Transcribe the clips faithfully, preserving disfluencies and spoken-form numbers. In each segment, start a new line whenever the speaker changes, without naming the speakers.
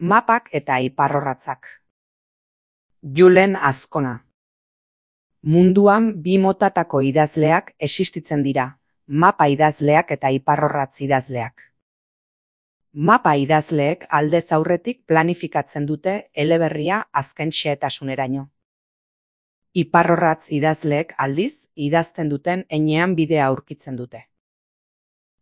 Mapak eta iparrorratzak. Julen Azkona. Munduan bi motatako idazleak existitzen dira, mapa idazleak eta iparrorratz idazleak. Mapa idazleek aldez aurretik planifikatzen dute eleberria azken xehetasuneraino. Iparrorratz idazleek aldiz idazten duten heinean bidea aurkitzen dute.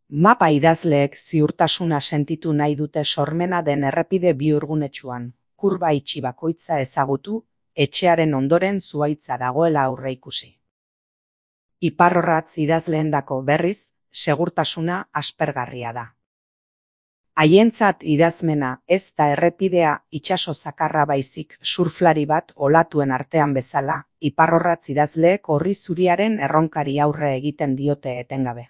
Mapa idazleek ziurtasuna sentitu nahi dute sormena den errepide bihurgunetsuan, kurba itxi bakoitza ezagutu, etxearen ondoren zuhaitza dagoela aurreikusi. Iparrorratz idazleendako berriz, segurtasuna aspergarria da. Haientzat idazmena ez da errepidea itsaso zakarra baizik surflari bat olatuen artean bezala, iparrorratz idazleek orri zuriaren erronkari aurre egiten diote etengabe.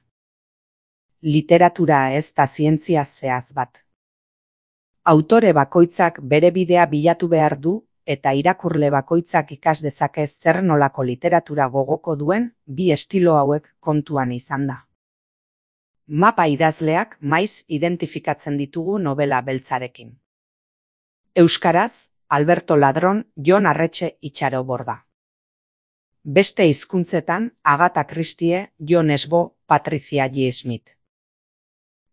Literatura ez da zientzia zehaz bat. Autore bakoitzak bere bidea bilatu behar du, eta irakurle bakoitzak ikas dezake zer nolako literatura gogoko duen bi estilo hauek kontuan izan da. Mapa idazleak maiz identifikatzen ditugu novela beltzarekin. Euskaraz, Alberto Ladron, Jon Arretxe Itxaroborda. Beste hizkuntzetan, Agatha Christie, Jon Esbo, Patricia J. Smith.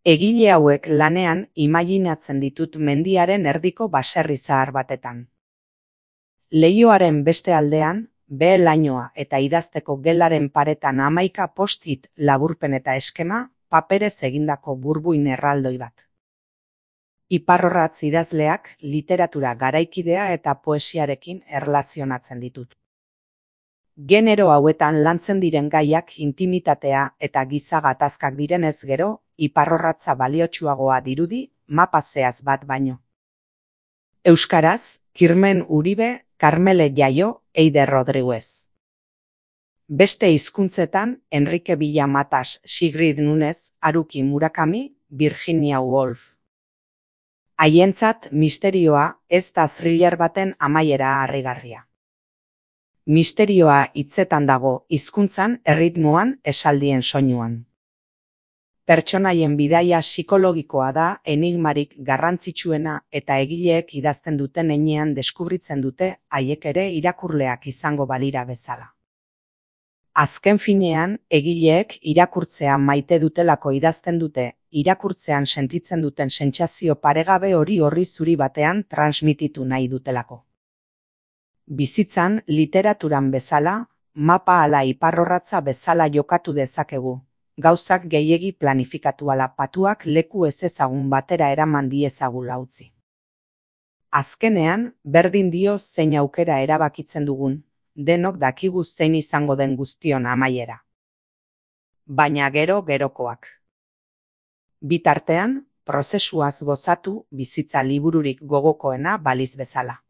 Egile hauek lanean imaginatzen ditut mendiaren erdiko baserri zahar batetan. Leihoaren beste aldean, behe-lainoa eta idazteko gelaren paretan hamaika post-it laburpen eta eskema, paperez egindako burbuin erraldoi bat. Iparrorratz idazleak literatura garaikidea eta poesiarekin erlazionatzen ditut. Genero hauetan lantzen diren gaiak intimitatea eta giza gatazkak direnez gero, iparrorratza baliotsuagoa dirudi, mapa zehaz bat baino. Euskaraz, Kirmen Uribe, Karmele Jaio, Eider Rodriguez. Beste hizkuntzetan, Enrique Villa Matas, Sigrid Nunez, Haruki Murakami, Virginia Woolf. Haientzat misterioa ez da thriller baten amaiera harrigarria. Misterioa hitzetan dago, hizkuntzan, erritmoan, esaldien soinuan. Pertsonaien bidaia psikologikoa da enigmarik garrantzitsuena eta egileek idazten duten heinean deskubritzen dute haiek ere irakurleak izango balira bezala. Azken finean, egileek irakurtzea maite dutelako idazten dute, irakurtzean sentitzen duten sentsazio paregabe hori orri zuri batean transmititu nahi dutelako. Bizitzan, literaturan bezala, mapa ala iparrorratza bezala jokatu dezakegu, gauzak gehiegi planifikatu ala patuak leku ezezagun batera eraman diezagula utzi. Azkenean, berdin dio zein aukera erabakitzen dugun, denok dakigu zein izango den guztion amaiera. Baina gero gerokoak. Bitartean, prozesuaz gozatu bizitza libururik gogokoena baliz bezala.